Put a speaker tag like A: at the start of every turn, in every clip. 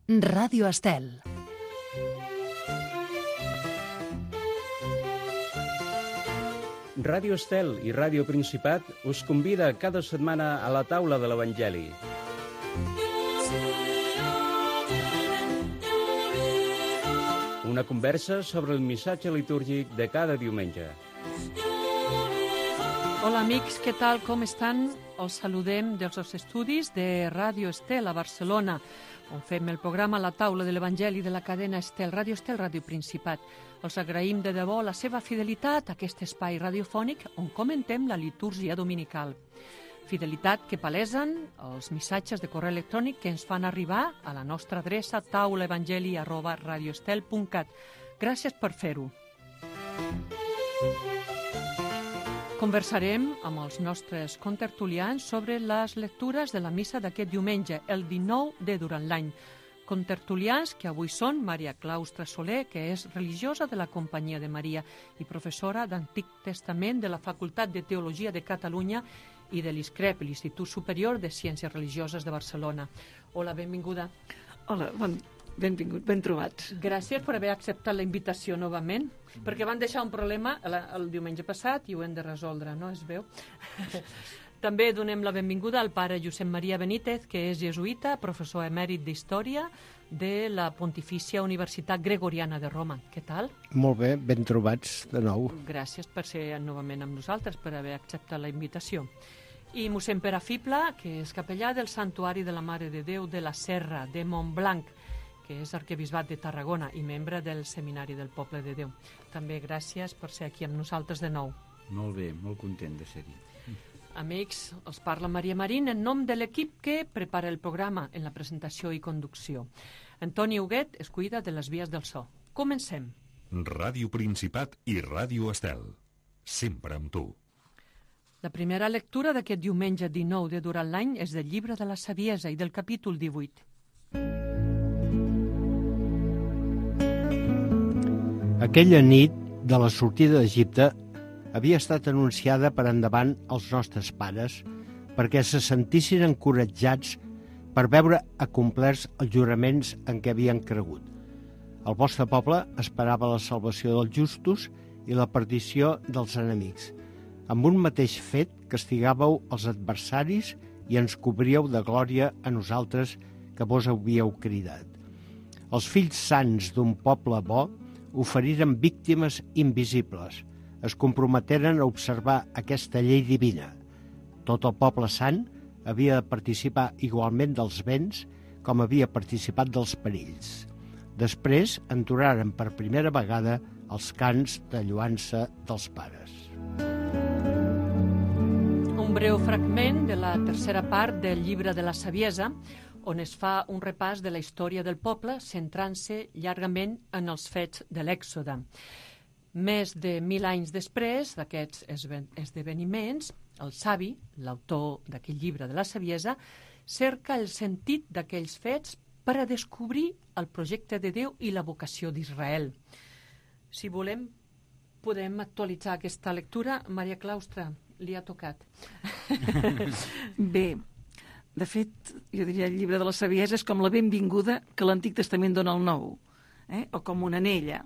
A: Ràdio Estel.
B: Ràdio Estel i Ràdio Principat us convida cada setmana a la taula de l'Evangeli. Una conversa sobre el missatge litúrgic de cada diumenge.
C: Hola amics, què tal, com estan? Els saludem dels estudis de Ràdio Estel a Barcelona, on fem el programa La taula de l'Evangeli de la cadena Estel, Ràdio Principat. Els agraïm de debò la seva fidelitat a aquest espai radiofònic on comentem la litúrgia dominical. Fidelitat que palesen els missatges de correu electrònic que ens fan arribar a la nostra adreça taulaevangeli@radioestel.cat. Gràcies per fer-ho. Conversarem amb els nostres contertulians sobre les lectures de la missa d'aquest diumenge, el 19 de durant l'any. Contertulians que avui són Maria Claustra Soler, que és religiosa de la Companyia de Maria i professora d'Antic Testament de la Facultat de Teologia de Catalunya i de l'ISCREP, l'Institut Superior de Ciències Religioses de Barcelona. Hola, benvinguda.
D: Hola, benvingut, ben trobats.
C: Gràcies per haver acceptat la invitació novament, perquè van deixar un problema el diumenge passat i ho hem de resoldre, no es veu? També donem la benvinguda al pare Josep Maria Benítez, que és jesuïta, professor emèrit d'Història de la Pontifícia Universitat Gregoriana de Roma. Què tal?
E: Molt bé, ben trobats de nou.
C: Gràcies per ser novament amb nosaltres, per haver acceptat la invitació. I mossèn Pere Fibla, que és capellà del Santuari de la Mare de Déu de la Serra de Montblanc, que és arquebisbat de Tarragona i membre del Seminari del Poble de Déu. També gràcies per ser aquí amb nosaltres de nou.
F: Molt bé, molt content de ser-hi.
C: Amics, els parla Maria Marín en nom de l'equip que prepara el programa en la presentació i conducció. Antoni Huguet es cuida de les vies del so. Comencem.
G: Ràdio Principat i Ràdio Estel. Sempre amb tu.
C: La primera lectura d'aquest diumenge 19 de durant l'any és del llibre de la Saviesa i del capítol 18.
E: Aquella nit de la sortida d'Egipte havia estat anunciada per endavant als nostres pares perquè se sentissin encoratjats per veure acomplerts els juraments en què havien cregut. El vostre poble esperava la salvació dels justos i la perdició dels enemics. Amb un mateix fet castigàveu els adversaris i ens cobríeu de glòria a nosaltres que vos havíeu cridat. Els fills sants d'un poble bo oferiren víctimes invisibles. Es comprometeren a observar aquesta llei divina. Tot el poble sant havia de participar igualment dels béns com havia participat dels perills. Després entonaren per primera vegada els cants de lloança dels pares.
C: Un breu fragment de la tercera part del llibre de la Saviesa, on es fa un repàs de la història del poble centrant-se llargament en els fets de l'Èxode. Més de 1000 anys després d'aquests esdeveniments, el savi, l'autor d'aquell llibre de la Saviesa, cerca el sentit d'aquells fets per a descobrir el projecte de Déu i la vocació d'Israel. Si volem, podem actualitzar aquesta lectura. Maria Claustra, li ha tocat.
D: Bé, de fet, jo diria el llibre de la Saviesa és com la benvinguda que l'Antic Testament dona al Nou, o com una anella.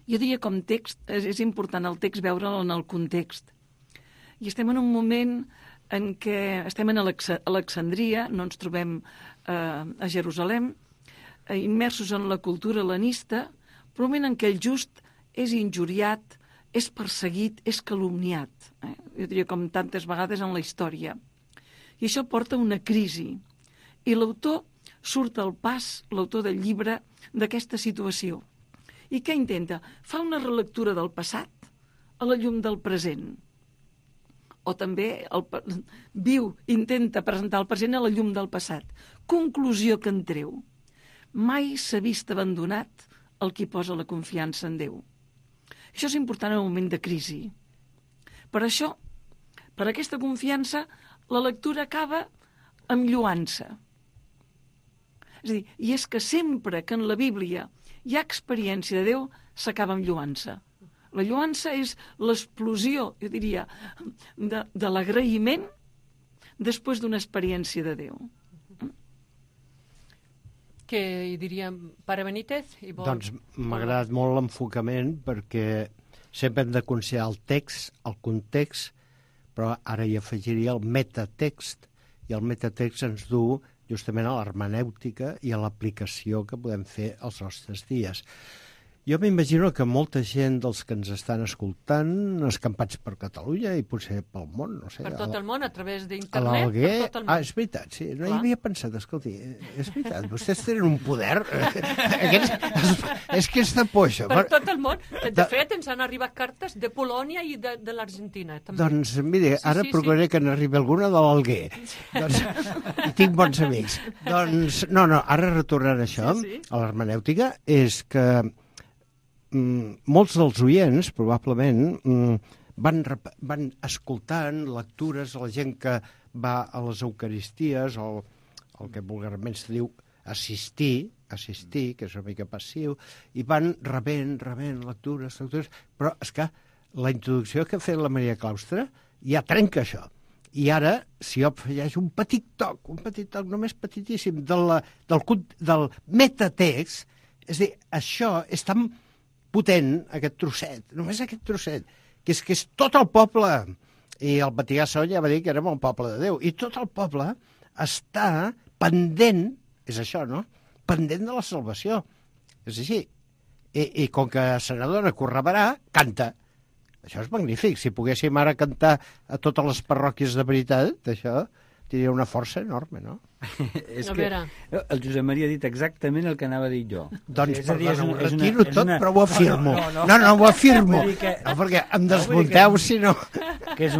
D: Jo diria com text, és important el text veure'l en el context. I estem en un moment en què estem a Alexandria, no ens trobem a Jerusalem, immersos en la cultura helenista, però un moment en què el just és injuriat, és perseguit, és calumniat. Jo diria com tantes vegades en la història. I això porta a una crisi. I l'autor surt al pas, l'autor del llibre, d'aquesta situació. I què intenta? Fa una relectura del passat a la llum del present. O també intenta presentar el present a la llum del passat. Conclusió que en treu. Mai s'ha vist abandonat el qui posa la confiança en Déu. Això és important en un moment de crisi. Per això, per aquesta confiança, la lectura acaba amb lloança. És a dir, i és que sempre que en la Bíblia hi ha experiència de Déu, s'acaba amb lloança. La lloança és l'explosió, jo diria, de l'agraïment després d'una experiència de Déu.
C: Què hi diria, Pare Benítez?
E: Doncs m'ha agradat molt l'enfocament perquè sempre hem de considerar el text, el context, però ara hi afegiria el metatext, i el metatext ens du justament a l'hermenèutica i a l'aplicació que podem fer als nostres dies. Jo m'imagino que molta gent dels que ens estan escoltant, escampats per Catalunya i potser pel món, no sé...
C: Per tot el món, a través
E: a
C: d'internet,
E: l'Alguer...
C: per tot el món.
E: És veritat, sí. No hi havia pensat, escolti, és veritat, vostès tenen un poder... és que és de por, això.
C: Per tot el món. De fet, ens han arribat cartes de Polònia i de l'Argentina, també.
E: Doncs, mire, ara procuraré que n'arribi alguna de l'Alguer. Doncs, i tinc bons amics. Doncs, no, ara retornant a això, a l'hermenèutica, és que molts dels oients, probablement, van escoltant lectures a la gent que va a les Eucaristies, o el que vulgarment se diu assistir, que és una mica passiu, i van rebent lectures, però és que la introducció que ha fet la Maria Claustre ja trenca això. I ara, si jo afegeix un petit toc només petitíssim, del metatext, és a dir, això és tan potent, aquest trosset, només aquest trosset, que és tot el poble, i el Vaticà II ja va dir que érem el poble de Déu, i tot el poble està pendent, és això, no?, pendent de la salvació. És així. I com que se n'adona que ho rebrà, canta. Això és magnífic. Si poguéssim ara cantar a totes les parròquies de veritat, això tindria una força enorme, no?
F: És que el Josep Maria ha dit exactament el que anava a dir jo.
E: Doncs, perdona, ho retiro tot, però ho afirmo. No, ho afirmo. Perquè em desmunteu, si no...
F: Que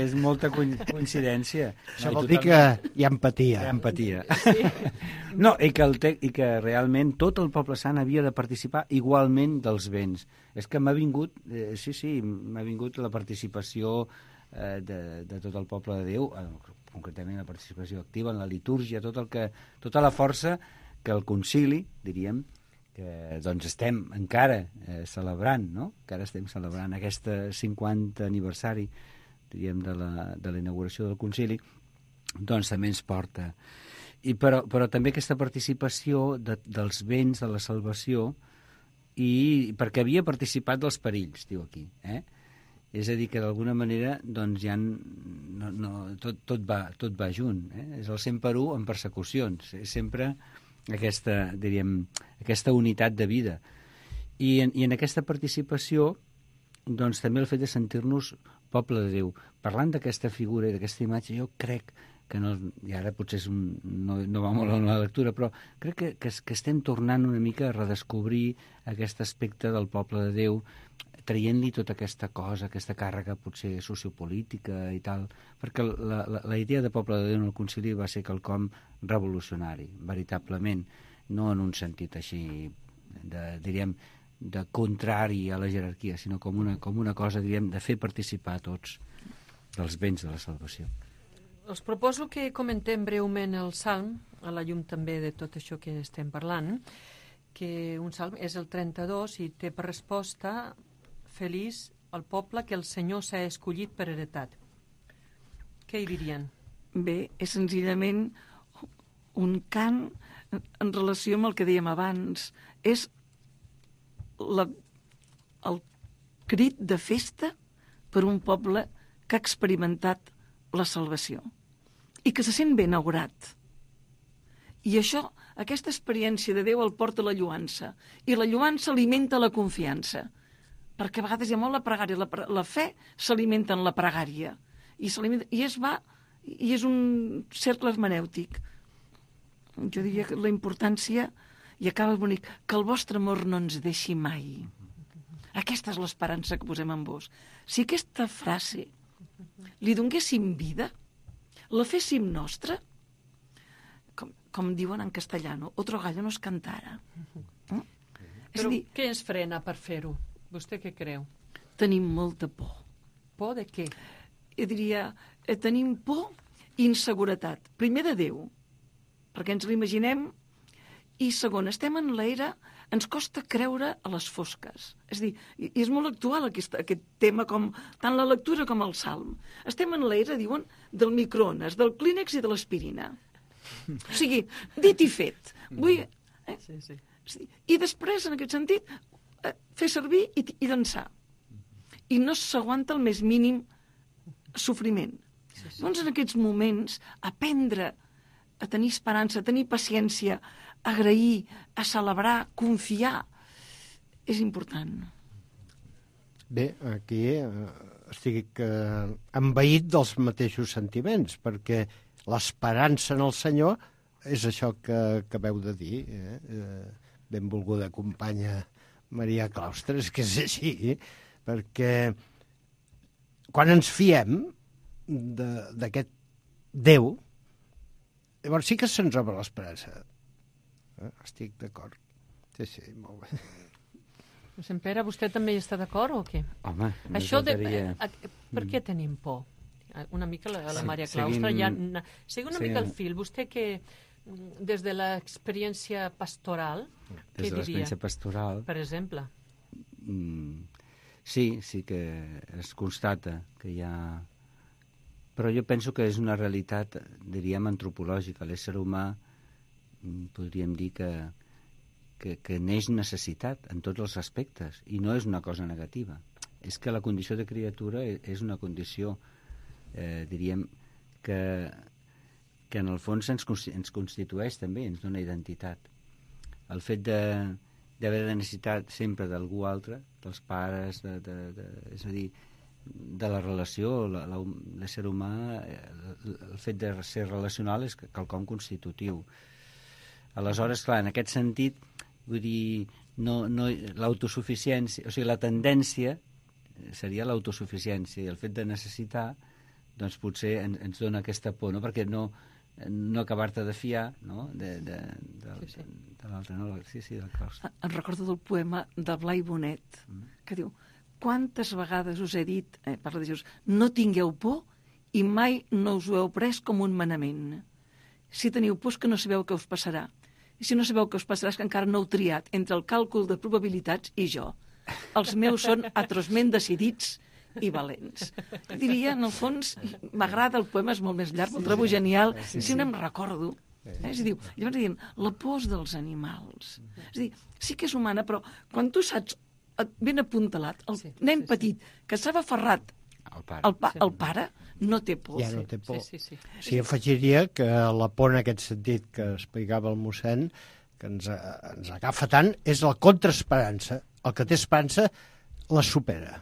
F: és molta coincidència.
E: Això vol dir que hi ha empatia.
F: Hi ha empatia. No, i que realment tot el poble sant havia de participar igualment dels béns. És que m'ha vingut, m'ha vingut la participació de tot el poble de Déu, concretament la participació activa en la litúrgia, tota la força que el concili, diríem, que doncs estem encara celebrant, no? Encara estem celebrant aquest 50 aniversari, diríem, de la inauguració del concili, doncs també ens porta. Però també aquesta participació dels béns de la salvació, i perquè havia participat dels perills, diu aquí, És a dir, que d'alguna manera doncs ja tot va junt. És el 100 per 1 en persecucions. És sempre aquesta unitat de vida. I en aquesta participació doncs també el fet de sentir-nos poble de Déu. Parlant d'aquesta figura i d'aquesta imatge, jo crec que no, i ara potser no va molt en la lectura, però crec que estem tornant una mica a redescobrir aquest aspecte del poble de Déu, traient-li tota aquesta cosa, aquesta càrrega potser sociopolítica i tal, perquè la idea de poble de Déu en el concili va ser quelcom revolucionari, veritablement, no en un sentit així, diríem, de contrari a la jerarquia, sinó com una cosa, diríem, de fer participar tots dels béns de la salvació.
C: Us proposo que comentem breument el Salm, a la llum també de tot això que estem parlant, que un Salm és el 32 i té per resposta: feliç el poble que el Senyor s'ha escollit per heretat. Què hi dirien?
D: Bé, és senzillament un cant en relació amb el que dèiem abans. És el crit de festa per un poble que ha experimentat la salvació i que se sent ben augurat. I això, aquesta experiència de Déu el porta a la lluança, i la lluança alimenta la confiança, perquè a vegades hi ha molt la pregària, la fe s'alimenta en la pregària, i és un cercle hermenèutic. Jo diria que la importància, i acaba bonic, que el vostre amor no ens deixi mai. Aquesta és l'esperança que posem en vos. Si aquesta frase li donéssim vida, la féssim nostra, com diuen en castellano, otro gallo nos cantara.
C: Però què ens frena per fer-ho? Vostè què creu?
D: Tenim molta por.
C: Por de què?
D: Jo diria, tenim por i inseguretat. Primer de Déu, perquè ens l'imaginem, i segon, estem en l'era, ens costa creure a les fosques. És a dir, i és molt actual aquest tema, com tant la lectura com el Salm. Estem en l'era, diuen, del microones, del clínex i de l'aspirina. O sigui, dit i fet. Vull...
C: Sí.
D: I després, en aquest sentit, fer servir i llançar. I no s'aguanta el més mínim sofriment. Doncs en aquests moments, aprendre a tenir esperança, a tenir paciència, a agrair, a celebrar, confiar, és important.
E: Bé, aquí estic envaït dels mateixos sentiments, perquè l'esperança en el Senyor és això que acabeu de dir, benvolguda companya Maria Claustres, que és així, perquè quan ens fiem d'aquest Déu, llavors sí que se'ns obre l'esperança. Estic d'acord. Sí, molt bé.
C: Sant Pere, vostè també hi està d'acord o què?
F: Home,
C: Això per què tenim por? Una mica la Maria Claustra, segui una mica el fil. Vostè que, des de l'experiència pastoral, què diria?
F: Des de l'experiència pastoral...
C: Per exemple.
F: Sí que es constata que hi ha... Però jo penso que és una realitat, diríem, antropològica. L'ésser humà, podríem dir que neix necessitat en tots els aspectes, i no és una cosa negativa. És que la condició de criatura és una condició, diríem, que en el fons ens constitueix també, ens dona identitat. El fet d'haver de necessitat sempre d'algú altre, dels pares, és a dir, de la relació, l'ésser humà, el fet de ser relacional és quelcom constitutiu. Aleshores, clar, en aquest sentit, vull dir, l'autosuficiència, o sigui, la tendència seria l'autosuficiència, i el fet de necessitar, doncs potser ens dona aquesta por, no? Perquè no acabar-te de fiar, no? De l'altre, no? Sí, del Claustre.
D: Em recordo del poema de Blai Bonet, que diu: quantes vegades us he dit, parla de Jesús, no tingueu por i mai no us ho heu pres com un manament. Si teniu por és que no sabeu què us passarà. I si no sabeu què us passarà és que encara no heu triat entre el càlcul de probabilitats i jo. Els meus són atrosment decidits i valents. Diria, en el fons, m'agrada, el poema és molt més llarg, el trobo genial, sempre em recordo. És a dir, llavors diem, la por dels animals. És a dir, sí que és humana, però quan tu saps ben apuntalat, el nen petit que s'ha aferrat al pare, no té por.
E: Ja no té por. Sí, afegiria que la por en aquest sentit que explicava el mossèn, que ens agafa tant, és la contraesperança. El que té esperança la supera.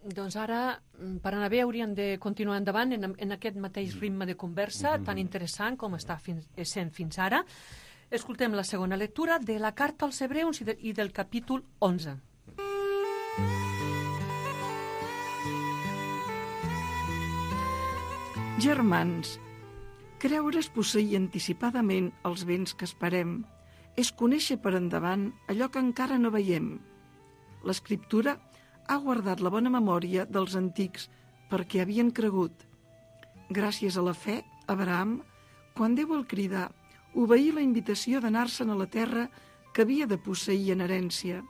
C: Doncs ara, per anar bé, hauríem de continuar endavant en aquest mateix ritme de conversa tan interessant com està sent fins ara. Escoltem la segona lectura de la carta als Hebreus i del capítol 11.
D: Germans, creure és posseir anticipadament els béns que esperem, és conèixer per endavant allò que encara no veiem. L'Escriptura ha guardat la bona memòria dels antics perquè havien cregut. Gràcies a la fe, Abraham, quan Déu el cridà, obeir la invitació d'anar-se'n a la terra que havia de posseir en herència.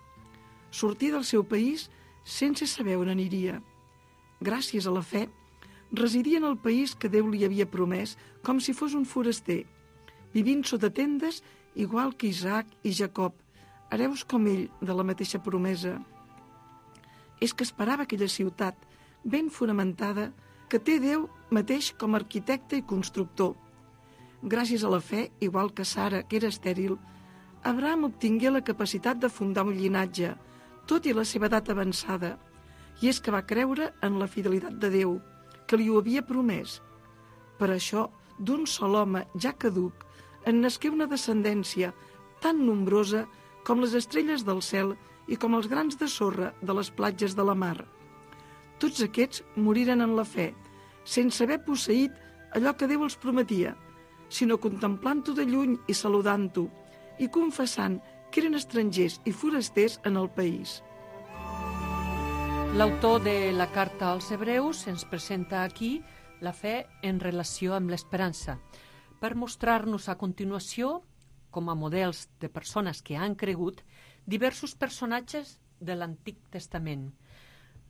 D: Sortir del seu país sense saber on aniria. Gràcies a la fe, residia en el país que Déu li havia promès com si fos un foraster, vivint sota tendes igual que Isaac i Jacob, hereus com ell de la mateixa promesa. És que esperava aquella ciutat ben fonamentada que té Déu mateix com a arquitecte i constructor. Gràcies a la fe, igual que Sara, que era estèril, Abraham obtingué la capacitat de fundar un llinatge, tot i la seva edat avançada, i és que va creure en la fidelitat de Déu, que li ho havia promès. Per això, d'un sol home ja caduc, en nasqué una descendència tan nombrosa com les estrelles del cel i com els grans de sorra de les platges de la mar. Tots aquests moriren en la fe, sense haver posseït allò que Déu els prometia, sinó contemplant-ho de lluny i saludant-ho, i confessant que eren estrangers i forasters en el país.
C: L'autor de la carta als Hebreus ens presenta aquí la fe en relació amb l'esperança, per mostrar-nos a continuació, com a models de persones que han cregut, diversos personatges de l'Antic Testament.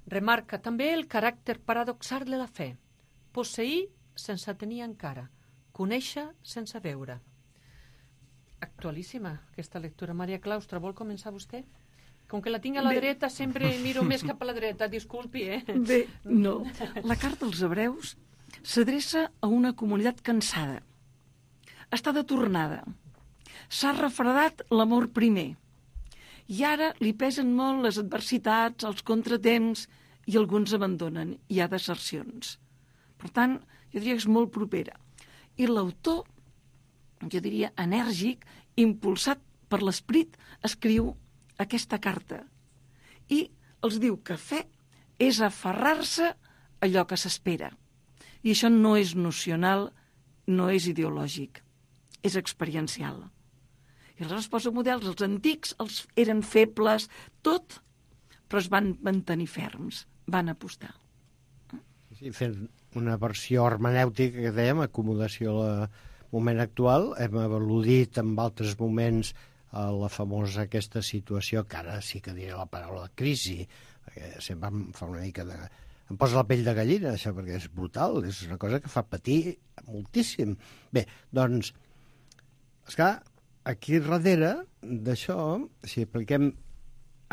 C: Remarca també el caràcter paradoxal de la fe, posseir sense tenir encara, Conèixer sense veure. Actualíssima, aquesta lectura. Maria Claustra, vol començar vostè? Com que la tinc a la dreta, sempre miro més cap a la dreta, disculpi,
D: Bé, no. La carta als hebreus s'adreça a una comunitat cansada. Està de tornada. S'ha refredat l'amor primer. I ara li pesen molt les adversitats, els contratemps, i alguns abandonen. Hi ha desercions. Per tant, jo diria que és molt propera. I l'autor, jo diria enèrgic, impulsat per l'esperit, escriu aquesta carta. I els diu que fe és aferrar-se a allò que s'espera. I això no és nocional, no és ideològic, és experiencial. I aleshores posa models, els antics eren febles, tot, però es van mantenir ferms, van apostar.
E: Sí, fent una versió hermenèutica que dèiem, acomodació al moment actual, hem al·ludit en altres moments a la famosa aquesta situació, que ara sí que diré la paraula crisi, perquè sempre em fa una mica de... Em posa la pell de gallina, això, perquè és brutal, és una cosa que fa patir moltíssim. Bé, doncs, esclar, aquí darrere d'això, si apliquem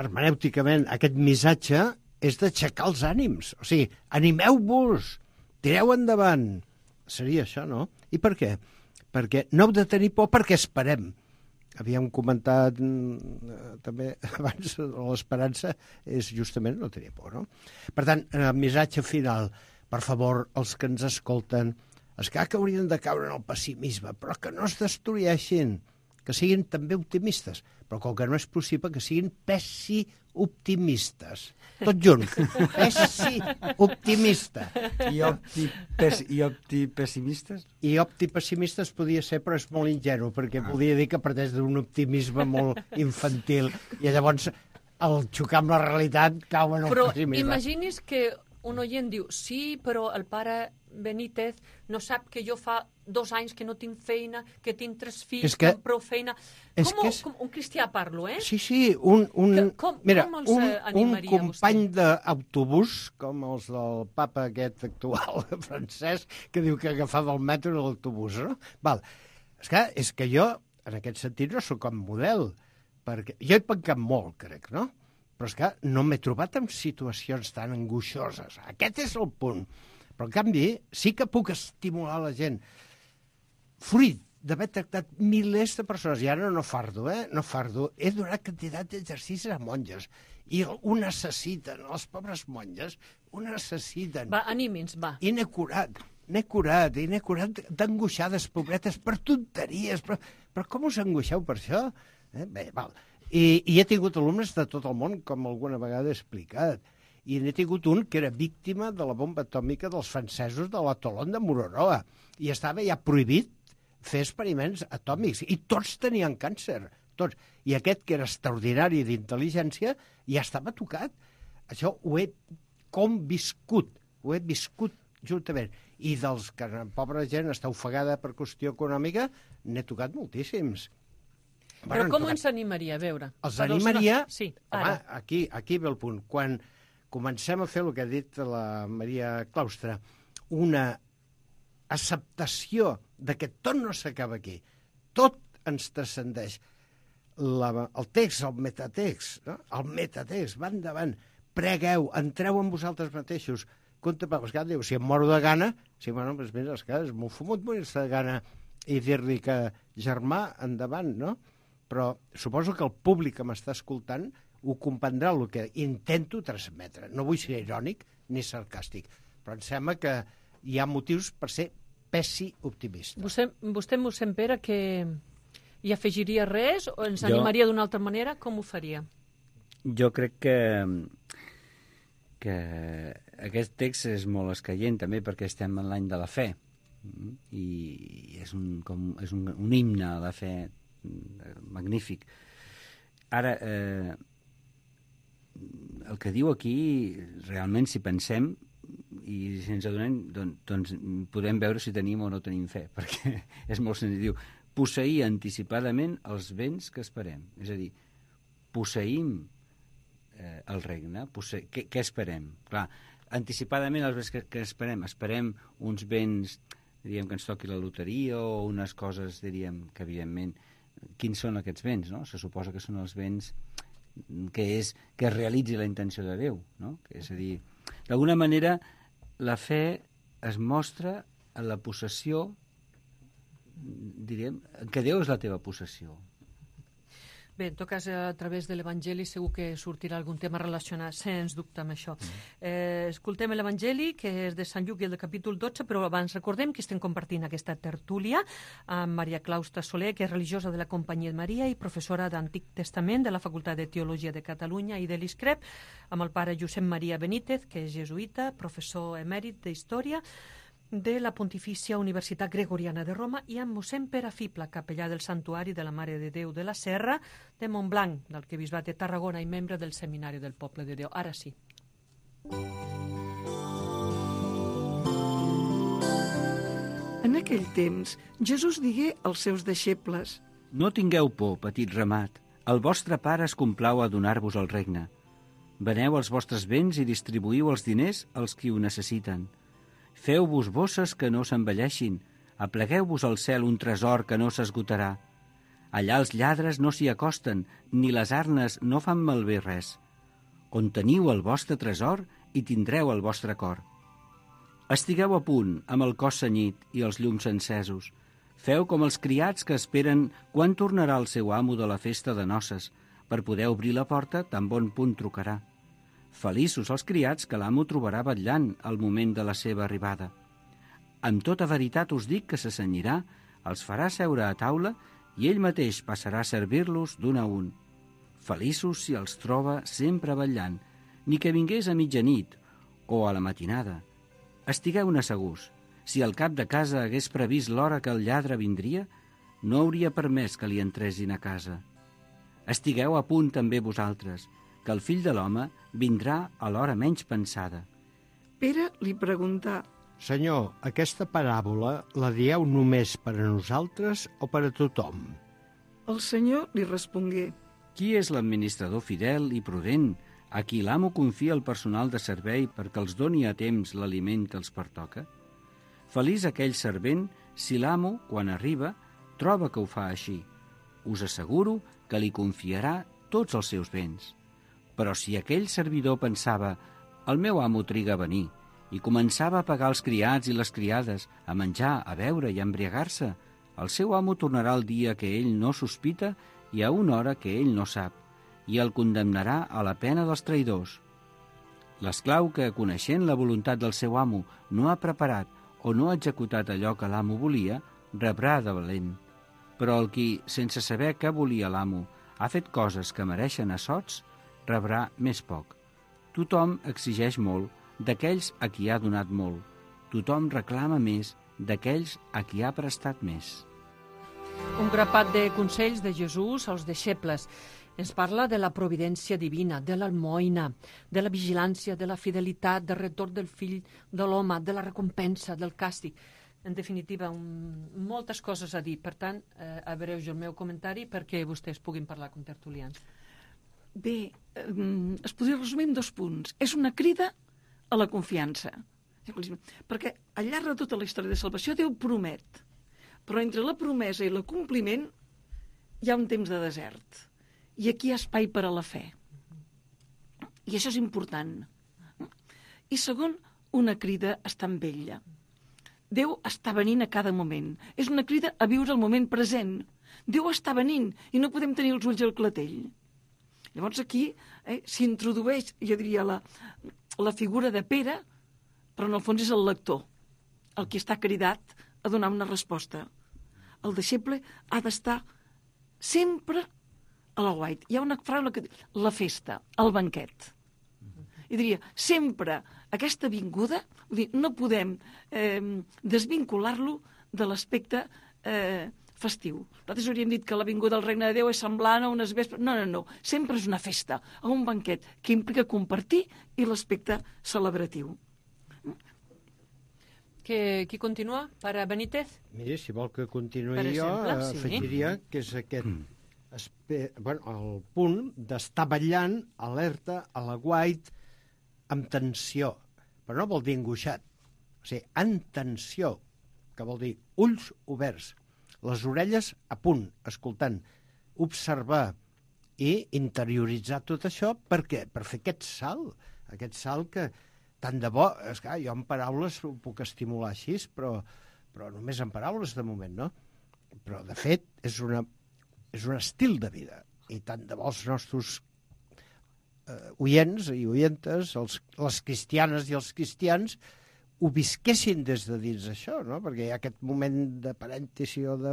E: hermenèuticament aquest missatge, és d'aixecar els ànims. O sigui, animeu-vos, tireu endavant. Seria això, no? I per què? Perquè no heu de tenir por perquè esperem. Havíem comentat també abans, l'esperança és justament no tenir por, no? Per tant, el missatge final, per favor, els que ens escolten, és que haurien de caure en el pessimisme, però que no es destrueixin, que siguin també optimistes, però com que no és possible, que siguin pessi-optimistes. Tot junt. Pessi-optimista.
F: I opti-pessimistes?
E: I opti-pessimistes podia ser, però és molt ingenu, perquè podia dir que parteix d'un optimisme molt infantil, i llavors, al xocar amb la realitat, cau en el pessimisme.
C: Però imagini's que un oient diu, sí, però el pare Benítez no sap que jo fa 2 anys que no tinc feina, que tinc 3 fills, que amb prou feina. Com un cristià parlo, eh?
E: Sí, com un company d'autobús, com els del papa aquest actual francès, que diu que agafava el metro i l'autobús, no? Val. Esclar, és que jo, en aquest sentit, no sóc com model, perquè jo he pencat molt, crec, no? Però és que no m'he trobat en situacions tan angoixoses. Aquest és el punt. Però, en canvi, sí que puc estimular la gent. Fruit d'haver tractat milers de persones, i ara no fardo, no fardo, he donat quantitat d'exercicis a monges, i ho necessiten, les pobres monges, ho necessiten.
C: Va, aními'ns, va.
E: I n'he curat d'angoixades, pobretes, per tonteries, però com us angoixeu per això? Bé, val. I he tingut alumnes de tot el món, com alguna vegada he explicat, i n'he tingut un que era víctima de la bomba atòmica dels francesos de la Toulon de Mururoa, i estava ja prohibit fer experiments atòmics, i tots tenien càncer, tots. I aquest, que era extraordinari d'intel·ligència, ja estava tocat. Això ho he conviscut, ho he viscut juntament. I dels que la pobra gent està ofegada per qüestió econòmica, n'he tocat moltíssims.
C: Però com ens animaria, a veure?
E: Els animaria...
C: Sí,
E: ara. Home, aquí ve el punt. Quan comencem a fer el que ha dit la Maria Claustra, una acceptació de que tot no s'acaba aquí, tot ens transcendeix. El text, el metatext, no? El metatext, va endavant, pregueu, entreu en vosaltres mateixos. Compte, perquè diu, si em moro de gana, sí, bueno, doncs mira, és molt fumut morir-se de gana i dir-li que germà, endavant, no? Però suposo que el públic que m'està escoltant ho comprendrà el que intento transmetre. No vull ser irònic ni sarcàstic, però em sembla que hi ha motius per ser pessi-optimista.
C: Vostè m'ho sent, Pere, que hi afegiria res o ens animaria d'una altra manera? Com ho faria?
F: Jo crec que aquest text és molt escaient també perquè estem en l'any de la fe i és un himne a la fe magnífic. Ara, el que diu aquí, realment, si pensem i si ens adonem, doncs podem veure si tenim o no tenim fe, perquè és molt senzill. Diu, posseir anticipadament els béns que esperem. És a dir, posseïm el regne. Què esperem? Clar, anticipadament els béns que esperem. Esperem uns béns diríem, que ens toqui la loteria o unes coses, diríem, que evidentment, quins són aquests béns, no? Se suposa que són els béns que es realitzi la intenció de Déu, no? És a dir, d'alguna manera, la fe es mostra en la possessió, diríem, que Déu és la teva possessió.
C: Bé, en tot cas, a través de l'Evangeli segur que sortirà algun tema relacionat, sens dubte, amb això. Escoltem l'Evangeli, que és de Sant Lluc i el de capítol 12, però abans recordem que estem compartint aquesta tertúlia amb Maria Claustra Soler, que és religiosa de la Companyia de Maria i professora d'Antic Testament de la Facultat de Teologia de Catalunya i de l'ISCREP, amb el pare Josep Maria Benítez, que és jesuïta, professor emèrit d'Història de la Pontifícia Universitat Gregoriana de Roma, i amb mossèn Pere Fibla, capellà del Santuari de la Mare de Déu de la Serra de Montblanc, d'Arquebisbat de Tarragona i membre del Seminari del Poble de Déu. Ara sí.
D: En aquell temps, Jesús digué als seus deixebles:
F: No tingueu por, petit ramat, el vostre pare es complau a donar-vos el regne. Veneu els vostres béns i distribuïu els diners als qui ho necessiten. Feu-vos bosses que no s'envelleixin, aplegueu-vos al cel un tresor que no s'esgotarà. Allà els lladres no s'hi acosten, ni les arnes no fan malbé res. On teniu el vostre tresor, hi tindreu el vostre cor. Estigueu a punt, amb el cos cenyit i els llums encesos. Feu com els criats que esperen quan tornarà el seu amo de la festa de noces, per poder obrir la porta tan bon punt trucarà. Feliços els criats que l'amo trobarà vetllant al moment de la seva arribada. Amb tota veritat us dic que se cenyirà, els farà seure a taula i ell mateix passarà a servir-los d'un a un. Feliços si els troba sempre vetllant, ni que vingués a mitjanit o a la matinada. Estigueu-ne segurs, si el cap de casa hagués previst l'hora que el lladre vindria, no hauria permès que li entressin a casa. Estigueu a punt també vosaltres, que el fill de l'home vindrà a l'hora menys pensada.
D: Pere li preguntà:
E: Senyor, aquesta paràbola la dieu només per a nosaltres o per a tothom?
D: El Senyor li respongué:
F: Qui és l'administrador fidel i prudent a qui l'amo confia el personal de servei perquè els doni a temps l'aliment que els pertoca? Feliç aquell servent si l'amo, quan arriba, troba que ho fa així. Us asseguro que li confiarà tots els seus béns. Però si aquell servidor pensava «el meu amo triga a venir» i començava a pagar els criats i les criades, a menjar, a beure i a embriagar-se, el seu amo tornarà el dia que ell no sospita i a una hora que ell no sap, i el condemnarà a la pena dels traïdors. L'esclau que, coneixent la voluntat del seu amo, no ha preparat o no ha executat allò que l'amo volia, rebrà de valent. Però el qui, sense saber què volia l'amo, ha fet coses que mereixen assots, rebrà més poc. Tothom exigeix molt d'aquells a qui ha donat molt. Tothom reclama més d'aquells a qui ha prestat més.
C: Un grapat de consells de Jesús als deixebles. Ens parla de la providència divina, de l'almoina, de la vigilància, de la fidelitat, del retorn del fill de l'home, de la recompensa, del càstig. En definitiva, moltes coses a dir. Per tant, abreujo el meu comentari perquè vostès puguin parlar com tertulians.
D: Bé, es podria resumir en 2 punts. És una crida a la confiança. Perquè al llarg de tota la història de salvació Déu promet. Però entre la promesa i l'acompliment hi ha un temps de desert. I aquí hi ha espai per a la fe. I això és important. I segon, una crida a estar amb ella. Déu està venint a cada moment. És una crida a viure el moment present. Déu està venint i no podem tenir els ulls al clatell. Llavors aquí s'introdueix, jo diria, la figura de Pere, però en el fons és el lector, el que està cridat a donar una resposta. El deixeble ha d'estar sempre a la guaita. Hi ha una frase que diu, la festa, el banquet. I diria, sempre aquesta vinguda, vull dir, no podem desvincular-lo de l'aspecte festiu. Nosaltres hauríem dit que la vinguda del Regne de Déu és semblant a unes vespres. No. Sempre és una festa, a un banquet, que implica compartir i l'aspecte celebratiu.
C: Qui continua? Pare Benítez?
E: Miri, si vol que continuï
C: Per exemple,
E: jo,
C: sí.
E: afegiria que és aquest el punt d'estar ballant, alerta, a l'aguait, amb tensió. Però no vol dir angoixat. O sigui, en tensió. que vol dir ulls oberts, les orelles a punt, escoltant, observar i interioritzar tot això. Per què? Per fer aquest salt que tant de bo, esclar, jo en paraules ho puc estimular així, però només en paraules de moment, no? Però de fet és un estil de vida, i tant de bo els nostres oients i oientes, les cristianes i els cristians, ho visquessin des de dins això, no? Perquè hi ha aquest moment de parèntesi o de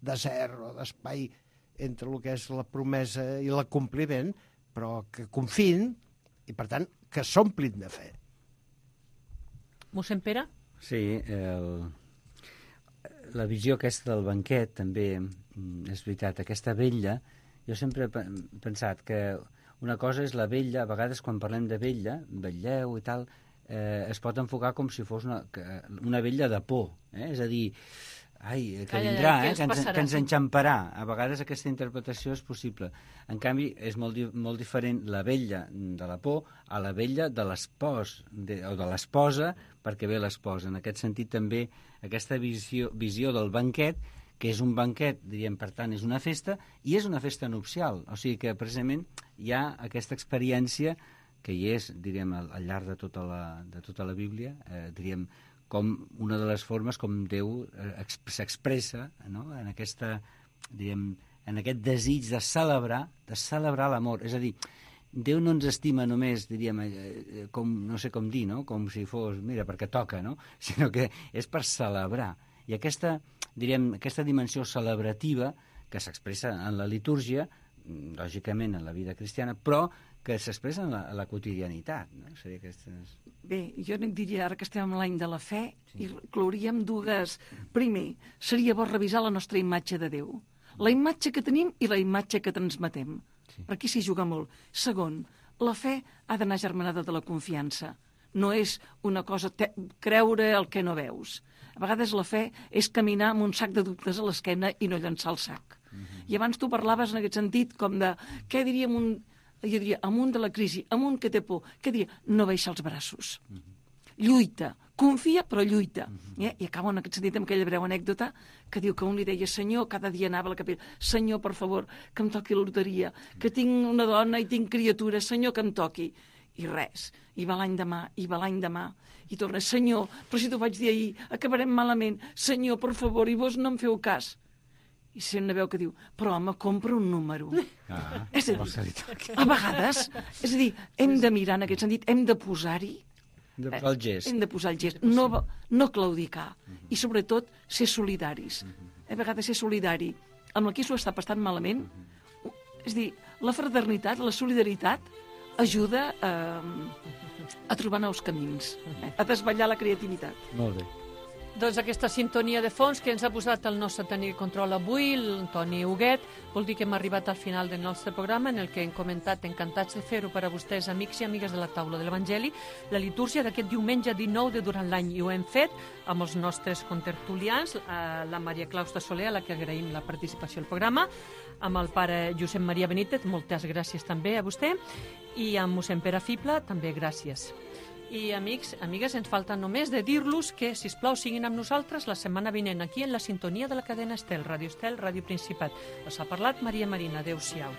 E: desert o d'espai entre el que és la promesa i l'acompliment, però que confiïn i, per tant, que s'omplin de fe.
C: Mossèn Pere?
F: Sí, la visió aquesta del banquet també és veritat, aquesta vetlla. Jo sempre he pensat que una cosa és la vetlla, a vegades quan parlem de vetlla, vetlleu i tal, es pot enfocar com si fos una vetlla de por, és a dir, que vindrà, que ens enxamparà. A vegades aquesta interpretació és possible. En canvi, és molt diferent la vetlla de la por a la vetlla de l'espòs o de l'esposa perquè ve l'esposa. En aquest sentit també aquesta visió del banquet, que és un banquet, diríem, per tant, és una festa, i és una festa nupcial. O sigui que precisament hi ha aquesta experiència que hi és, diríem, al llarg de tota la Bíblia, diríem, com una de les formes com Déu s'expressa, no? En aquesta, diríem, en aquest desig de celebrar l'amor. És a dir, Déu no ens estima només, diríem, com, no sé com dir, no? Com si fos, mira, perquè toca, no? Sinó que és per celebrar. I aquesta, diríem, aquesta dimensió celebrativa que s'expressa en la litúrgia, lògicament en la vida cristiana, però que s'expressa en la quotidianitat, no? Seria aquestes...
D: Bé, jo diria, ara que estem en l'any de la fe, i inclouríem dues. Primer, seria bo revisar la nostra imatge de Déu. La imatge que tenim i la imatge que transmetem. Sí. Per aquí s'hi juga molt. Segon, la fe ha d'anar germanada de la confiança. No és una cosa creure el que no veus. A vegades la fe és caminar amb un sac de dubtes a l'esquena i no llançar el sac. I abans tu parlaves en aquest sentit com de, què diríem jo diria, amunt de la crisi, amunt que té por, què diria? No baixar els braços. Lluita, confia però lluita. I acabo en aquest sentit amb aquella breu anècdota que diu que un li deia, Senyor, cada dia anava a la capella, Senyor, per favor, que em toqui la loteria, que tinc una dona i tinc criatures, Senyor, que em toqui. I res, i va l'any demà, i torna, Senyor, però si t'ho vaig dir ahir, acabarem malament, Senyor, per favor, i vos no em feu cas. I sent una veu que diu, però home, compra un número. És a dir, a vegades, és a dir, hem de mirar en aquest sentit, hem de posar-hi,
F: de posar el gest.
D: Hem de posar el gest, no claudicar, i sobretot ser solidaris. A vegades ser solidari amb el qui s'ho està passant malament, és a dir, la fraternitat, la solidaritat, ajuda a trobar nous camins, a desvetllar la creativitat.
F: Molt bé.
C: Doncs aquesta sintonia de fons que ens ha posat el nostre tècnic de control avui, l'Antoni Huguet, vol dir que hem arribat al final del nostre programa en el que hem comentat, encantats de fer-ho per a vostès, amics i amigues de la taula de l'Evangeli, la litúrgia d'aquest diumenge 19 de durant l'any. I ho hem fet amb els nostres contertulians, la Maria Clausta Soler, a la que agraïm la participació al programa, amb el pare Josep Maria Benítez, moltes gràcies també a vostè, i amb mossèn Pere Fibla, també gràcies. I, amics, amigues, ens falta només de dir-los que, sisplau, siguin amb nosaltres la setmana vinent aquí en la sintonia de la cadena Estel, Ràdio Estel, Ràdio Principat. Us ha parlat Maria Marina. Adéu-siau.